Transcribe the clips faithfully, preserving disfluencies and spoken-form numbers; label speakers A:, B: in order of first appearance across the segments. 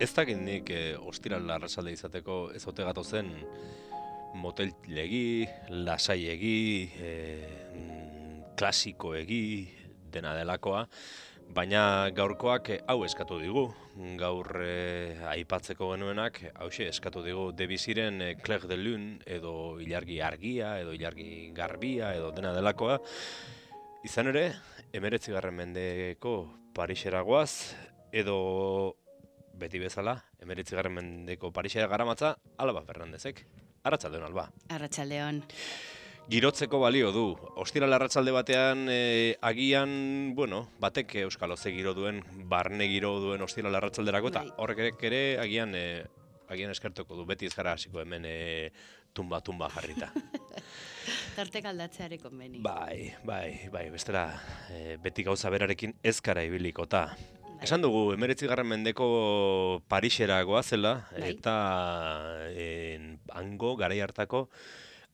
A: Ez dakit nik eh, ostiral arratsalde izateko ez ote gatozen motelegi, lasaiegi, eh, mm, klasikoegi, dena delakoa, baina gaurkoak eh, hau eskatu digu. Gaur eh, aipatzeko genuenak, hauxe eskatu digu Debussyren eh, Clair de Lune, edo ilargi argia, edo ilargi garbia, edo dena delakoa. Izan ere, emeretzigarren mendeko Parisera goaz, edo beti bezala, emeretzigarren mendeko Parisera garamatza, Alba Fernandezek. Arratsaldeon, Alba.
B: Arratsaldeon.
A: Girotzeko balio du. Ostiral arratsalde batean eh, agian, bueno, batek Euskal Oze giro duen, barne giro duen ostiral arratsalderako, eta
B: Bai.
A: horrek ere agian eh, agian eskertuko du. Beti ez gara hasiko hemen eh, tumba-tumba jarrita.
B: Tartek aldatzeare konbeni.
A: Bai, bai, bai, bestela eh, beti gauza berarekin ez gara ibilikota.
B: Bai.
A: Esan dugu, emeretzigarren mendeko Parisera goazela,
B: Bai.
A: eta en, hango, garai hartako,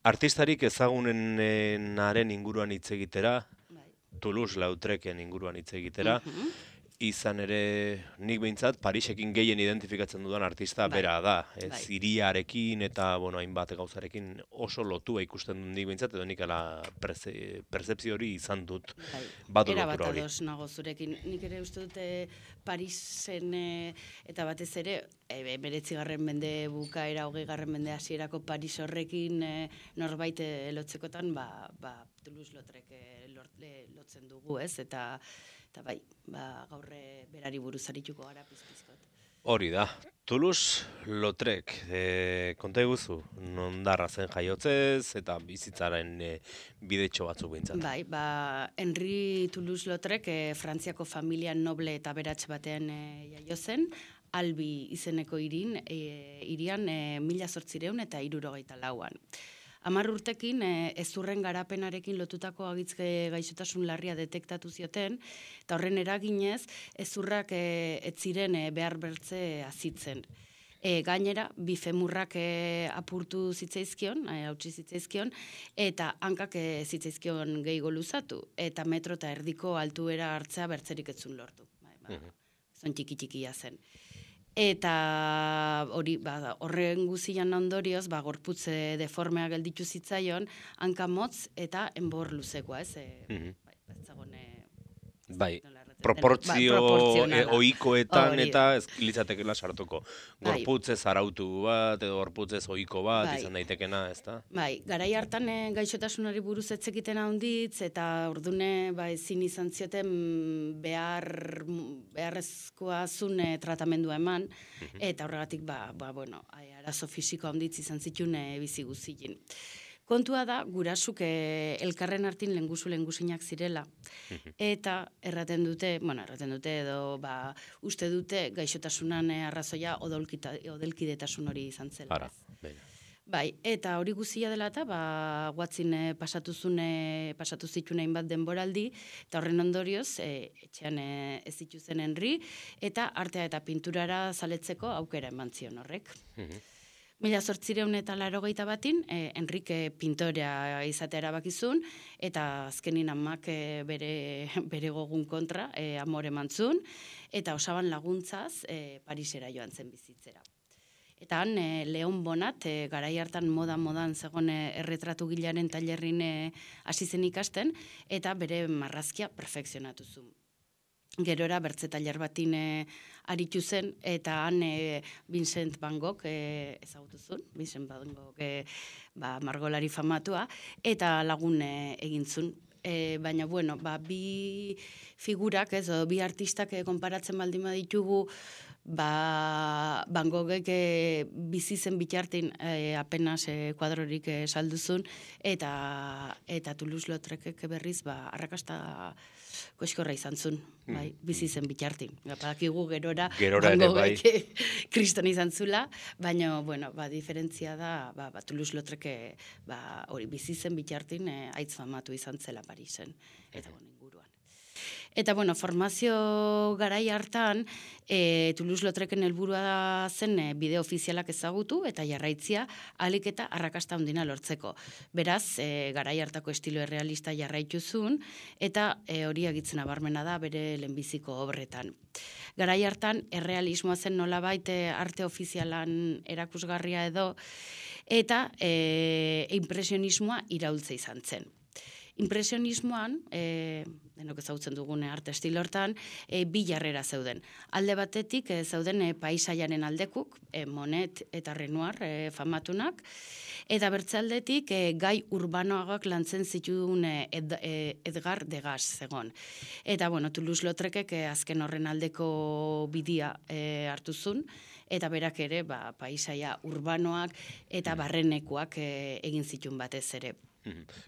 A: artistarik ezagunenaren inguruan hitz egitera,
B: Bai.
A: Toulouse-Lautrecen inguruan hitz egitera,
B: Mhm.
A: izan ere, nik behintzat, Parisekin gehien identifikatzen dudan artista
B: Bai.
A: bera da. Ez
B: Bai.
A: hiriarekin eta, bueno, hainbat gauzarekin oso lotua ikusten dut nik behintzat, edo nik ala perze, percepzio hori izan dut.
B: Bai.
A: Badu
B: Era bat
A: lotura hori.
B: ados nago zurekin. Nik ere uste dute Parisen eh, eta batez ere emeretzigarren mende bukaera, hogeigarren mende hasierako Paris horrekin eh, norbait eh, lotzekotan, ba, ba Toulouse-Lautrec eh, lort- eh, lotzen dugu, ez? Eta eta bai, ba gaur eh, berari buruz arituko gara pizpizkot.
A: Hori da. Toulouse-Lautrec, e, konta eguzu, nondarra zen jaiotzez, eta bizitzaren e, bidetxo batzuk behintzat.
B: Bai, ba, Henri Toulouse-Lautrec eh, Frantziako familia noble eta beratz batean eh, jaio zen, Albi izeneko irin, eh, irian eh, mila zortzireun eta hirurogeita lauan. Hamar urtekin eh, ezurren garapenarekin lotutako agitzke gaixotasun larria detektatu zioten, eta horren eraginez ezurrak eh, ez ziren eh, behar bertze azitzen. E, gainera, bi femurrak e, apurtu zitzaizkion, e, hautsi zitzaizkion, eta hankak e, zitzaizkion gehiago luzatu, eta metro eta erdiko altuera hartzea bertzerik etzun lortu. Bai, ba,
A: Mhm.
B: zon txiki-txikia zen. Eta hori, ba, horren guzian ondorioz, ba, gorputze deformea gelditu zitzaion, hanka motz eta enbor luzekoa, ez? E,
A: Mhm.
B: bai, ez zagon, e, ez
A: Bai,
B: dakit nola erraten den.
A: proportzio
B: Bai,
A: e,
B: proportzionala.
A: ohikoetan
B: Hori
A: eta
B: da.
A: ez litzatekeela sartuko.
B: Bai.
A: Gorputzez arautu bat, edo gorputzez ohiko bat,
B: Bai.
A: izan daitekena, ezta?
B: Bai, garai hartan eh, gaixotasunari buruz etzekiten handitz, eta ordune ba, ezin izan zioten behar, beharrezkoa zun eh, tratamendua eman, eta horregatik, ba, ba, bueno, ai, arazo fisiko handitz izan zituen eh, bizi guzien. Kontua da, gurasuk eh, elkarren hartin lengusu lengusinak zirela, eta erraten dute, bueno, erraten dute edo, ba, uste dute gaixotasunan eh, arrazoia odolkita, odelkidetasun hori izan zela.
A: Ara,
B: ez?
A: begira.
B: Bai, eta hori guzia dela eta ba, guatzin eh, pasatu zune, pasatu zituen hainbat denboraldi, eta horren ondorioz, eh, etxean eh, ez zituzen Henri, eta artea eta pinturara zaletzeko aukera eman zion horrek.
A: Mhm.
B: Mila zortzireun eta larogeita batin, eh, Enrique pintorea izatea erabakizun, eta azkenin amak eh, bere, bere gogun kontra eh, amore mantzun, eta osaban laguntzaz eh, Parisera joan zen bizitzera. Eta han, e, Leon Bonat, e, garai hartan moda-modan zegoen e, erretratu gilaren tailerrin e, hasi zen ikasten, eta bere marrazkia perfekzionatu zuen. Gerora bertze tailer batin e, aritu zen, eta han e, Vincent Van Gogh e, ezagutu zuen, Vincent Van Gogh e, ba, margolari famatua, eta lagun e, egin zuen. E, baina, bueno, ba, bi figurak, ez, o, bi artistak e, konparatzen baldin baditugu, ba, Van Goghek e, bizi zen bitartin e, apenas e, kuadrorik e, salduzun, eta, eta Toulouse-Lautrecek berriz, ba, arrakasta koxkorra izan zuen, bai, bizi zen bitartin. Badakigu gerora,
A: Gerora
B: Van
A: ere, bai.
B: Goghek kriston izan zula, baina, bueno, ba, diferentzia da, ba, ba, Toulouse-Lautrec e, ba, hori bizi zen bitartin e, aitz famatu izan zela Parisen, eta, bueno, inguruan. Eta, bueno, formazio garai hartan, e, Toulouse-Lautrecen helburua zen e, bideo ofizialak ezagutu eta jarraitzia ahalik eta arrakasta handina lortzeko. Beraz, e, garai hartako estilo errealista jarraituzun eta e, hori agitzen abarmena da bere lehenbiziko obretan. Garai hartan, errealismoa zen nolabait e, arte ofizialan erakusgarria edo, eta e, impresionismoa iraultza izan zen. Impresionismoan, e, denok ezagutzen dugune arte estilo hortan, e, bi jarrera zeuden. Alde batetik e, zeuden e, paisaiaren aldekuk, e, Monet eta Renoir e, famatunak, eta bertzaldetik e, gai urbanoagak lantzen zituen e, ed, e, Edgar Degas zegon. Eta, bueno, Toulouse-Lautrecek e, azken horren aldeko bidia e, hartuzun, eta berak ere, ba, paisaia urbanoak eta barrenekoak e, egin zituen batez ere.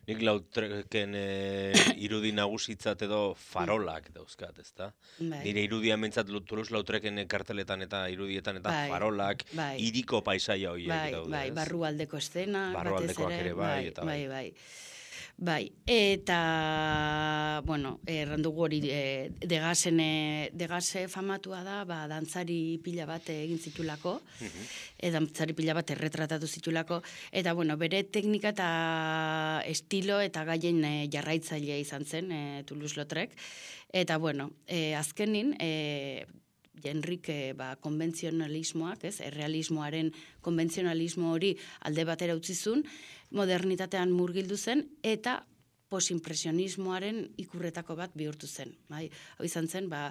A: Nik Lautrecen e, irudi nagusitzat edo farolak dauzkat, ezta?
B: Bai.
A: Nire irudia mentzat Toulouse-Lautrecen karteletan eta irudietan eta
B: Bai,
A: farolak,
B: bai.
A: hiriko paisaia horiek
B: Bai,
A: daude,
B: bai,
A: ez?
B: barrualdeko estena,
A: Barrualdekoak
B: batez
A: ere bai, eta bai.
B: bai, bai. Bai, eta, bueno, errandugu hori, e, Degasen, e, Degase famatua da, ba, dantzari pila bat egin zitulako, e, dantzari pila bat erretratatu zitulako, eta, bueno, bere teknika eta estilo eta gaien e, jarraitzailea izan zen, e, Toulouse-Lautrec, eta, bueno, e, azkenin, e, Jenrik e, ba, konbentzionalismoak, ez, errealismoaren konbentzionalismo hori alde batera utzizun, modernitatean murgildu zen, eta posimpresionismoaren ikurretako bat bihurtu zen. Bai? Hau izan zen, ba,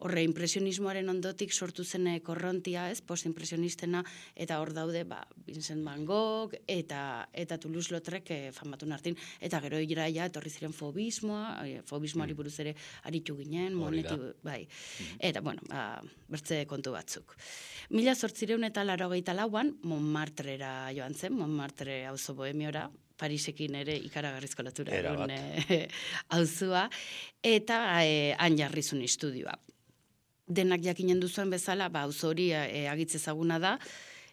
B: horre impresionismoaren ondotik sortu zen korrontia, ez, postimpresionistena, eta hor daude, ba, Vincent van Gogh, eta, eta Toulouse-Lautrec e, famatun hartin, eta gero iraia etorri ziren fobismoa, e, fobismoari buruz ere aritu ginen, moneti, bai. Eta, bueno, ba, bertze kontu batzuk. Mila zortzireun eta laurogeita lauan, Montmartrera joan zen, Montmartre auzo bohemiora, Parisekin ere ikaragarrizko lotura egun auzua, eta e, han jarrizun estudioa. Denak jakinen duzuen bezala, ba, auzo hori e, agitz ezaguna da,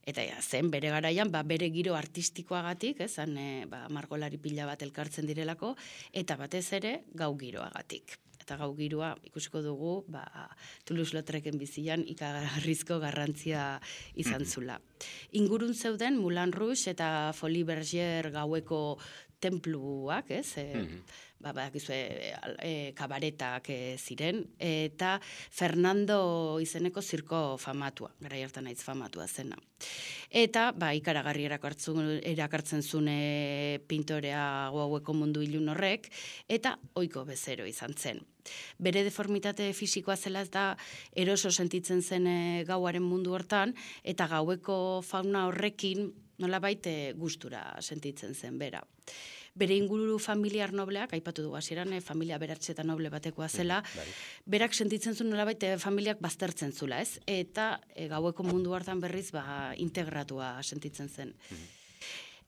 B: eta ja, zen bere garaian, ba, bere giro artistikoagatik, ez, han, e, ba, margolari pila bat elkartzen direlako, eta batez ere gau giroagatik. Eta gau giroa ikusiko dugu, ba, Toulouse-Lautrecen bizian ikagarrizko garrantzia izan zula. Ingurun zeuden Moulin Rouge eta Folie Bergère gaueko templuak, ez? E, ba, ba, gizue, e, kabaretak e, ziren, eta Fernando izeneko zirko famatua, gara hartan naiz famatua zena. Eta, ba, ikaragarri erakartzen zune pintorea gaueko mundu ilun horrek, eta ohiko bezero izan zen. Bere deformitate fisikoa zela ez da eroso sentitzen zen e, gauaren mundu hortan, eta gaueko fauna horrekin nolabait e, gustura sentitzen zen bera. Bere inguru familiar nobleak, aipatu dugu hasieran, e, familia beratxe eta noble batekoa zela, berak sentitzen zuen nolabait e, familiak baztertzen zula, ez? Eta e, gaueko mundu hartan berriz ba, integratua sentitzen zen.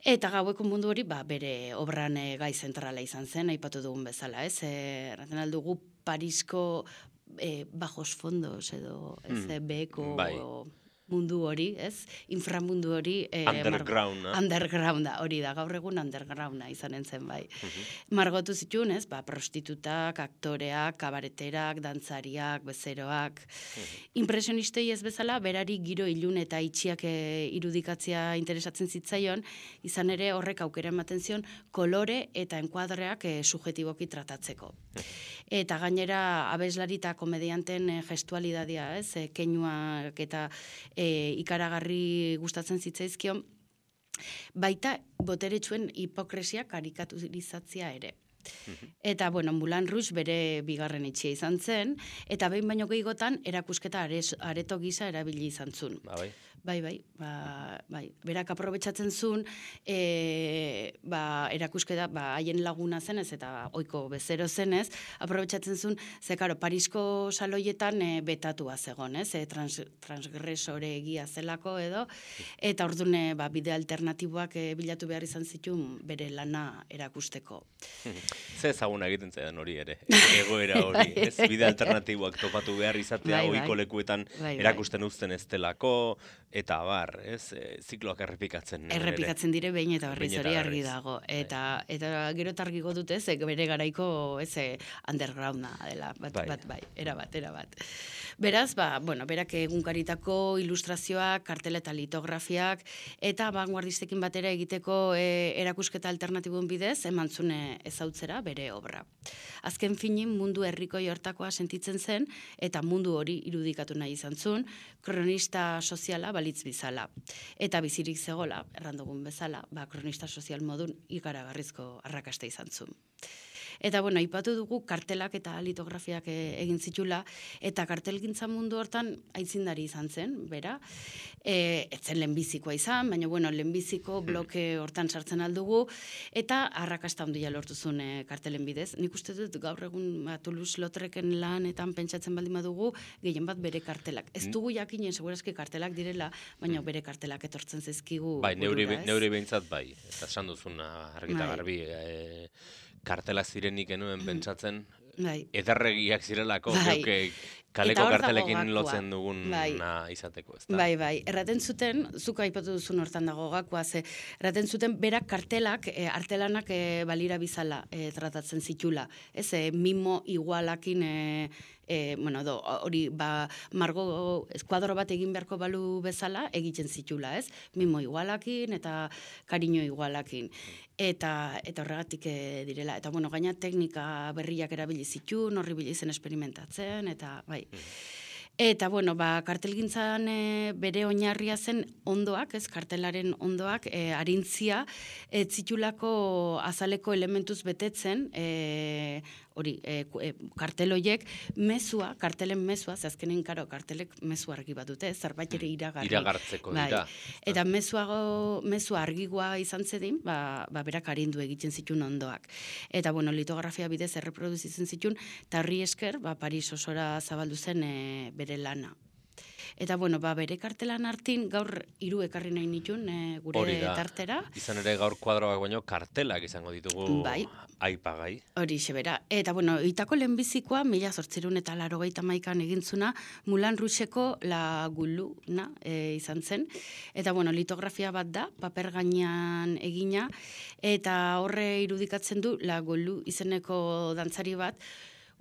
B: Eta gaueko mundu hori, ba, bere obran e, gai zentrala izan zen, aipatu dugun bezala, ez? E, Erraten aldugu Parisko e, bajos fondos edo, ez, mm. beheko
A: bai.
B: mundu hori, ez? Inframundu hori... E,
A: undergrounda.
B: Undergrounda, hori da, gaur egun undergrounda izanen zen, bai. Uh-huh. Margotu zituen, ez? Ba, prostitutak, aktoreak, kabareterak, dantzariak, bezeroak. Uh-huh. Impresionistei ez bezala, berari giro ilun eta itxiak e, irudikatzea interesatzen zitzaion, izan ere horrek aukera ematen zion kolore eta enkuadreak e, subjetiboki tratatzeko. Eta gainera abeslari eta komedianten e, gestualidadia, ez? E, keinuak eta e, ikaragarri gustatzen zitzaizkion, baita boteretsuen hipokresia karikaturizatzea ere. Eta, bueno, Moulin Rouge bere bigarren etxea izan zen, eta behin baino gehiagotan erakusketa areto gisa erabili izan zuen.
A: Ba, bai.
B: Bai, bai, ba, bai. Berak aprobetxatzen zuen, e, ba, erakusketa, ba, haien laguna zenez, eta ohiko bezero zenez, aprobetxatzen zuen, ze, karo, Parisko saloietan e, betatua zegon, ez, e, trans, transgresore egia zelako edo, eta ordune, ba, bide alternatiboak e, bilatu behar izan zituen bere lana erakusteko.
A: Ze ezaguna egiten zaidan hori ere, egoera hori, ez? Bide alternatiboak topatu behar izatea,
B: Bai, bai.
A: ohiko lekuetan
B: Bai, bai.
A: erakusten uzten ez delako, eta bar, ez? E, zikloak errepikatzen ere.
B: Errepikatzen dire behin eta berriz
A: Behin eta
B: hori argi
A: berriz.
B: dago. Eta eta gero eta argiko dute, ez, bere garaiko ez eh, undergrounda dela, bat,
A: Bai.
B: bat, bai, era bat, era bat. Beraz, ba, bueno, berak egunkaritako ilustrazioak, kartela eta litografiak, eta vanguardistekin batera egiteko e, erakusketa alternatibuen bidez, eman zune ezautzera bere obra. Azken finin mundu herriko hortakoa sentitzen zen, eta mundu hori irudikatu nahi izan zuen, kronista soziala balitz bizala. Eta bizirik zegola, errandugun bezala, ba, kronista sozial modun ikaragarrizko arrakasta izan zuen. Eta, bueno, aipatu dugu kartelak eta litografiak e, egin zitula, eta kartelgintza mundu hortan aitzindari izan zen, bera. E, etzen lehenbizikoa izan, baina, bueno, lehenbiziko bloke hortan sartzen aldugu, eta arrakasta handia lortu zuen e, kartelen bidez. Nik uste dut gaur egun ba, Toulouse-Lautrecen lanetan pentsatzen baldin badugu, gehien bat bere kartelak. Ez dugu jakinen, segurazki kartelak direla, baina bere kartelak etortzen zaizkigu.
A: Bai, neuri,
B: burura, ez?
A: neuri behintzat bai, eta esan duzuna argita
B: Bai.
A: garbi, e, kartelak zirenik enuen pentsatzen,
B: Bai.
A: ederregiak zirelako,
B: Bai.
A: geuk
B: Eta
A: kaleko
B: hor dago
A: kartelekin
B: gakoa.
A: lotzen duguna
B: Bai.
A: izateko, ez da?
B: Bai, bai, erraten zuten, zuk aipatu duzun hortan dago gakoa, ze, erraten zuten berak kartelak, e, artelanak e, balira bizala e, tratatzen zitula. Ez, e, mimo igualakin, e, e, bueno, do, hori, ba, margo, eskuadro bat egin beharko balu bezala, egiten zitula, ez? Mimo igualakin eta kariño igualakin. Eta, eta horregatik e, direla. Eta, bueno, gaina teknika berriak erabili zituen, horri bila izen esperimentatzen, eta, bai. Eta, bueno, ba, kartelgintzan e, bere oinarria zen ondoak, ez, kartelaren ondoak, e, arintzia, ez zitulako azaleko elementuz betetzen, e, hori, e, e, kartel horiek, mezua, kartelen mezua, ze azkenen, karo, kartelek mezu argi bat dute, zerbait ere iragarri.
A: Iragartzeko
B: Bai.
A: dira.
B: Eta mezuago, mezua argigoa izan zedin, ba, ba berak arindu egiten zituen ondoak. Eta, bueno, litografia bidez erreproduzitzen zituen, eta horri esker, ba, Paris osora zabaldu zen e, bere lana. Eta, bueno, ba, bere kartelan hartin gaur hiru ekarri nahi nituen e, gure
A: Hori da.
B: tartera.
A: Izan ere gaur kuadroak baino kartelak izango ditugu
B: Bai.
A: aipagai.
B: Hori xebera. Eta, bueno, itako lehenbizikoa, mila zortzirun eta larogeita maikan egintzuna, Moulin Rouge-eko La Gulluna e, izan zen. Eta, bueno, litografia bat da, paper gainean egina, eta horre irudikatzen du La Gullu izeneko dantzari bat.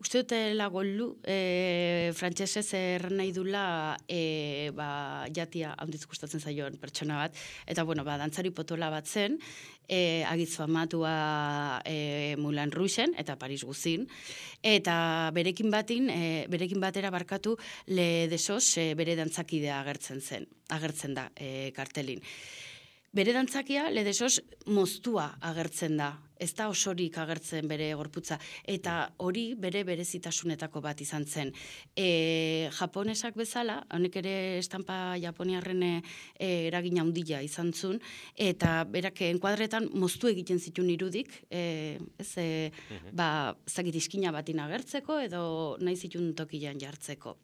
B: Uste dute La Gullu, e, frantsesez erran nahi dula e, ba, jatia handiz gustatzen zaion pertsona bat. Eta, bueno, ba, dantzari potola bat zen, e, agitz famatua e, Moulin Rougen eta Paris guzin. Eta berekin batin, e, berekin batera barkatu Le Desos e, bere dantzakidea agertzen zen, agertzen da e, kartelin. Bere dantzakia, Le Desos, moztua agertzen da. Ez da osorik agertzen bere gorputza. Eta hori bere berezitasunetako bat izan zen. E, japonesak bezala, honek ere estampa japoniarren e, eragin handia izan zuen, eta berak enkuadretan moztu egiten zituen irudik, e, ez, e, ba, zakit iskina batin agertzeko, edo nahi zituen tokian jartzeko.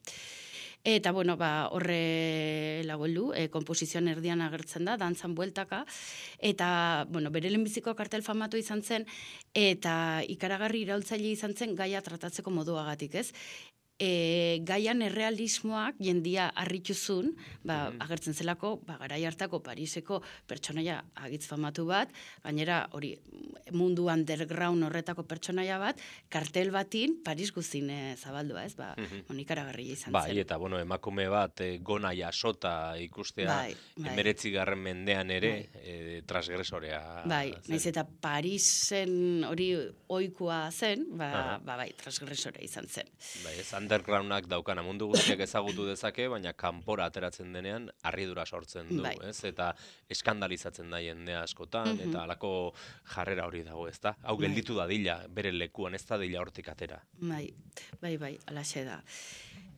B: Eta, bueno, ba, horre lagoldu, e, komposizioan erdian agertzen da, dantzan bueltaka, eta, bueno, bere lehenbiziko kartel famatu izan zen, eta ikaragarri iraultzaile izan zen gaia tratatzeko moduagatik, ez? E, gaian errealismoak jendia harrituzun, ba, agertzen zelako, ba, garai hartako Pariseko pertsonaia agitz famatu bat, gainera hori mundu underground horretako pertsonaia bat, kartel batin Paris guzin e, zabaldua, ez? Ba, mm ikaragarria izan
A: Bai,
B: zen.
A: eta, bueno, emakume bat e, gona jasota ikustea,
B: Bai, bai.
A: emeretzigarren mendean ere, e, transgresorea.
B: Bai,
A: zen.
B: naiz eta Parisen hori ohikoa zen, ba,
A: Aha.
B: ba bai, transgresora izan zen.
A: Bai, ez undergroundak daukana mundu guztiak ezagutu dezake, baina kanpora ateratzen denean harridura sortzen du,
B: Bai.
A: ez? Eta eskandalizatzen da jendea askotan, eta halako jarrera hori dago, ez da? Hau gelditu dadila, bere lekuan, ez da dila hortik atera.
B: Bai, bai, bai, alaxe da.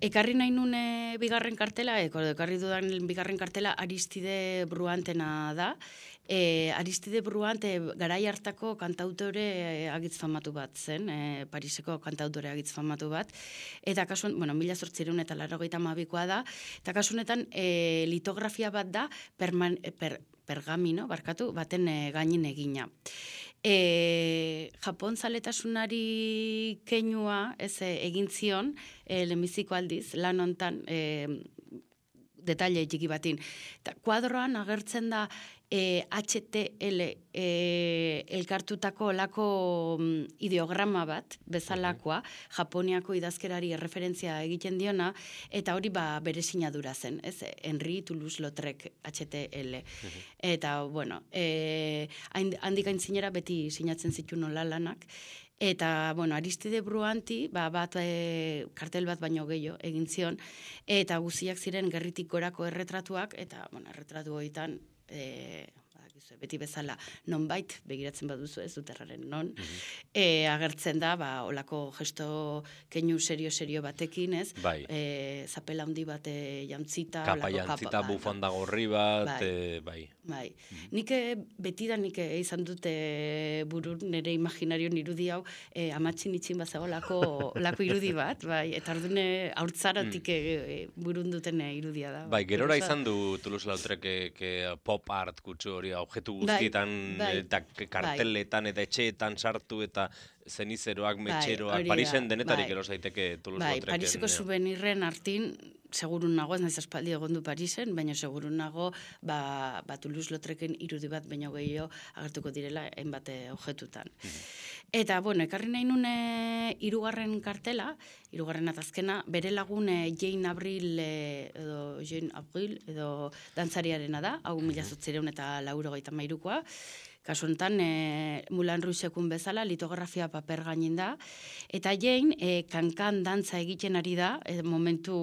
B: Ekarri nahi nune bigarren kartela, eko, ekarri dudan bigarren kartela Aristide Bruantena da, E, Aristide Bruant e, garai hartako kantautore e, agitz famatu bat zen, e, Pariseko kantautore agitz famatu bat, eta kasu, bueno, mila zortzireun eta larrogeita hamabikoa da, eta kasu honetan e, litografia bat da perman, per, pergamino, barkatu, baten e, gainin egina. E, Japon zaletasunari keinua ez e, egin zion e, lehenbiziko aldiz lan hontan e, detaile txiki batin. Ta, kuadroan agertzen da e, H T L e, elkartutako lako mm, ideograma bat, bezalakoa, Japoniako idazkerari erreferentzia egiten diona, eta hori ba, bere sinadura zen, ez? Henri Toulouse-Lautrec H T L. Eta, bueno, e, handik aintzinera beti sinatzen zituen nola lanak, eta, bueno, Aristide Bruanti, ba, bat, e, kartel bat baino gehiago egin zion, eta guziak ziren gerritik gorako erretratuak, eta, bueno, erretratu horietan, e, beti bezala nonbait begiratzen baduzu ez duterraren non, e, agertzen da, ba, olako gesto keinu serio-serio batekin, ez?
A: Bai.
B: E, zapela handi bat e, jantzita,
A: Kapa jantzita,
B: bai,
A: bufanda gorri bat,
B: bai.
A: E, bai.
B: Bai. Nik beti da nik izan dute burun nire imaginarion irudi hau e, amatxin itxin bazago lako, lako irudi bat, bai, eta ordune haurtzaratik e, burun duten irudia da.
A: Bai, gerora izan du Toulouse-Lautrec pop art kutsu hori objektu guztietan,
B: bai,
A: eta karteletan, eta etxeetan sartu, eta zenizeroak,
B: bai,
A: metxeroak, Parisen denetarik
B: bai.
A: ero zaiteke
B: Bai,
A: Toulouse-Lautrecen.
B: Pariseko subenirren artin, segurun nago, ez naiz aspaldi egon du Parisen, baina segurun nago, ba, ba Toulouse-Lautrecen irudi bat baino gehiago agertuko direla hainbat objetutan. Eta, bueno, ekarri nahi nune hirugarren kartela, hirugarren atazkena, bere lagune Jane Avril, e, edo Jane Avril, edo dantzariarena da, hau mila zortziehun eta laurogeita hamairukoa. Kasu honetan, e, Moulin Rouge-ekun bezala, litografia paper gainin da, eta Jane, e, kankan dantza egiten ari da, e, momentu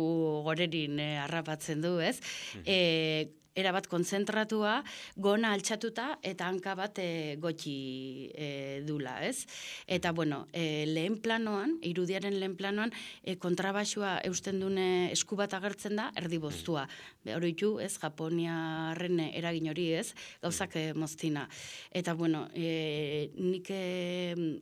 B: gorerin e, harrapatzen du, ez? E, erabat kontzentratua, gona altxatuta eta hanka bat e, gotxi e, dula, ez? Eta, bueno, e, lehen planoan, irudiaren lehen planoan, e, kontrabaxua eusten dune esku bat agertzen da, erdi boztua. Hori itu, ez, Japoniarren eragin hori, ez, gauzak e, moztina. Eta, bueno, e, nik e,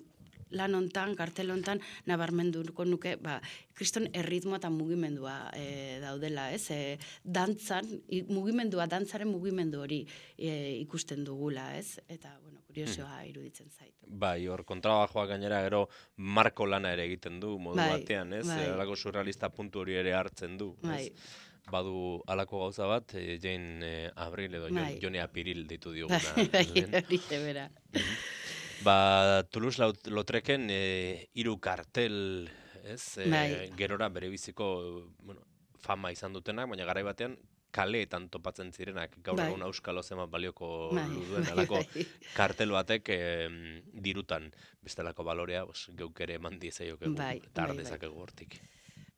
B: lan hontan, kartel hontan, nabarmenduko nuke, ba, kriston erritmoa eta mugimendua e, daudela, ez? E, dantzan, i, mugimendua, dantzaren mugimendu hori e, ikusten dugula, ez? Eta, bueno, kuriosoa iruditzen zait.
A: Bai, hor kontrabajoa gainera gero marko lana ere egiten du, modu
B: bai,
A: batean, ez?
B: Bai.
A: Alako surrealista puntu hori ere hartzen du,
B: Bai.
A: ez? Badu alako gauza bat, e, Jane e, Avril edo
B: Bai.
A: Jone Apiril ditu dioguna.
B: Bai, hori bera.
A: Ba, Toulouse-Lautrecen e, hiru kartel, ez? E,
B: Bai.
A: Gerora bere biziko, bueno, fama izan dutenak, baina garai batean kaleetan topatzen zirenak, gaur
B: Bai.
A: egun auskalo zema balioko
B: Bai,
A: duen,
B: bai,
A: alako
B: bai.
A: kartel batek e, dirutan bestelako balorea, bos, geuk ere eman diezaiokegu,
B: Bai,
A: eta
B: bai,
A: har
B: bai.
A: dezakegu hortik.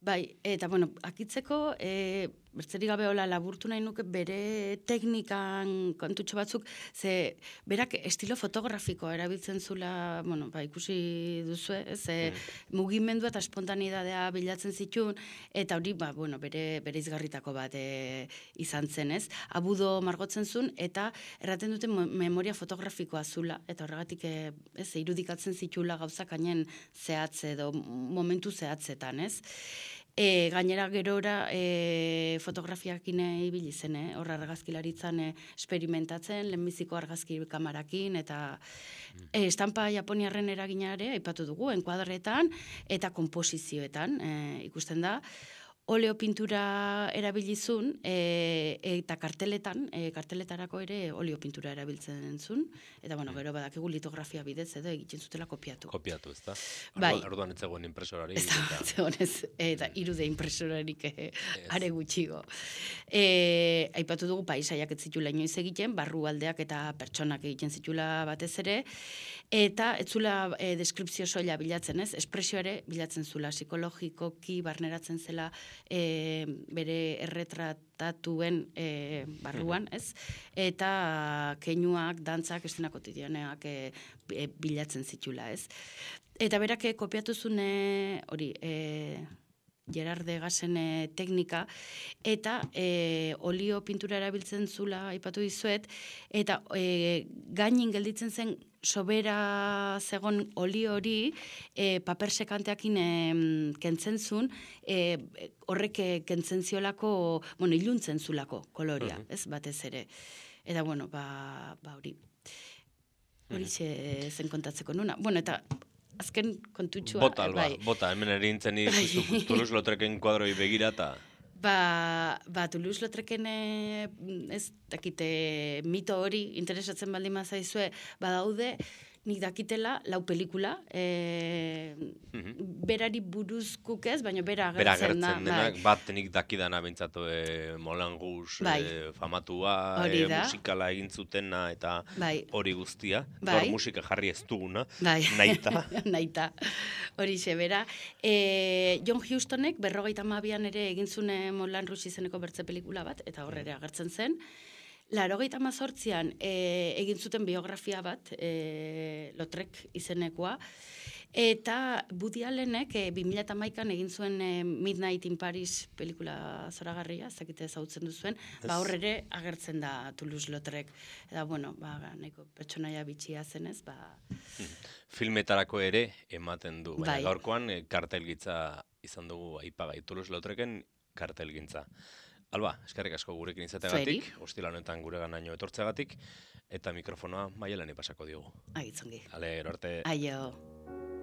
B: Bai, eta, bueno, akitzeko, e, bertzerik gabe hola laburtu nahi nuke bere teknikan kontutxo batzuk, ze berak estilo fotografikoa erabiltzen zula, bueno, ba, ikusi duzue, ze mugimendua eta espontanidadea bilatzen zituen, eta hori, ba, bueno, bere, bere izgarritako bat e, izan zen, ez? Abudo margotzen zuen, eta erraten duten mo- memoria fotografikoa zula, eta horregatik, e, ez, irudikatzen zitula gauzak hainen zehatze edo momentu zehatzetan, ez? E, gainera gerora e, fotografiakin ibili zen, eh? Hor argazkilaritzan e, experimentatzen, lehenbiziko argazki kamarakin, eta e, estampa japoniarren eraginare aipatu dugu, enkuadretan eta komposizioetan e, ikusten da. Oleo pintura erabilizun, e, eta karteletan, e, karteletarako ere oleo pintura erabiltzen zuen, eta bueno, gero badakigu litografia bidez edo egiten zutela kopiatu.
A: Kopiatu, ez da?
B: Bai.
A: Orduan ez zegoen impresorari.
B: Ez da,
A: eta-
B: zegonez, eta irude impresorarik eh, are gutxigo. E, aipatu dugu paisaiak ez zitula inoiz egiten, barrualdeak eta pertsonak egiten zitula batez ere, eta ez zula e, deskripzio soila bilatzen, ez? Espresio ere bilatzen zula, psikologikoki barneratzen zela e, bere erretratatuen e, barruan, ez? Eta keinuak, dantzak, estena kotidianeak e, e, bilatzen zitula, ez? Eta berak eh, kopiatu zune hori, e, Gerard Degasen e, teknika, eta e, olio pintura erabiltzen zula aipatu dizuet, eta e, gainin gelditzen zen sobera zegon oli hori e, paper sekanteakin e, kentzen zuen, e, horrek e, kentzen ziolako, bueno, iluntzen zulako koloria,
A: Mhm.
B: ez, batez ere. Eta, bueno, ba, ba hori, hori xe zen kontatzeko nuna. Bueno, eta azken kontutxua,
A: Bota,
B: eh,
A: alba,
B: bai.
A: bota, hemen erintzen ikustu Toulouse-Lautrecen kuadroi begira eta...
B: Ba, ba Toulouse-Lautreken eh, ez dakite mito hori interesatzen baldin mazaizue, badaude nik dakitela lau pelikula, e, berari buruzkuk ez, baina bera
A: Bera
B: agertzen da.
A: agertzen denak, bat nik dakidana bintzatu e, Moulin Rouge
B: Bai.
A: e, famatua,
B: Hori
A: e,
B: da.
A: musikala egin zutena eta
B: Bai.
A: hori guztia.
B: Bai.
A: Gaur musika jarri ez duguna,
B: Bai.
A: naita.
B: Naita, hori bera. E, John Houstonek berrogeita hamabian ere egin zune Moulin Rouge izeneko bertze pelikula bat, eta horre ere agertzen zen. Laurogeita hamazortzian e, egin zuten biografia bat, e, Lautrec izenekoa, eta Woody Allenek e, bi mila hamaikan egin zuen e, Midnight in Paris pelikula zoragarria, ez dakite ezagutzen duzuen, ba horre ere agertzen da Toulouse-Lautrec. Eta, bueno, ba, nahiko pertsonaia bitxia zenez, ba...
A: Filmetarako ere ematen du, baina
B: Bai.
A: gaurkoan e, kartelgitza izan dugu aipagai Toulouse-Lautrecen kartelgintza. Alba, eskerrik asko gurekin izategatik, ostila honetan gure ganaino etortzeagatik, eta mikrofonoa Maialeni pasako diogu.
B: Agitzongi.
A: Ale, gero arte.
B: Aio.